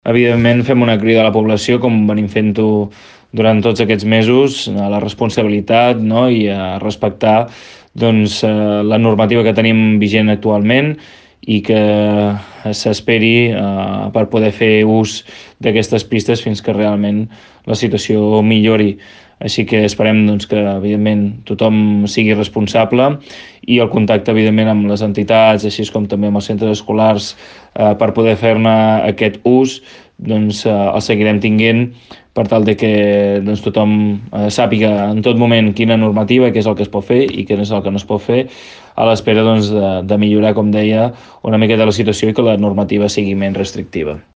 Evidentment, fem una crida a la població, com venim fent-ho durant tots aquests mesos, a la responsabilitat, no? I a respectar doncs, la normativa que tenim vigent actualment i que s'esperi per poder fer ús d'aquestes pistes fins que realment la situació millori. Així que esperem doncs, que, evidentment, tothom sigui responsable i el contacte, evidentment, amb les entitats, així com també amb els centres escolars, per poder fer-ne aquest ús, doncs el seguirem tinguent per tal de que doncs, tothom sàpiga en tot moment quina normativa, què és el que es pot fer i què és el que no es pot fer, a l'espera doncs, de millorar, com deia, una miqueta la situació i que la normativa sigui menys restrictiva.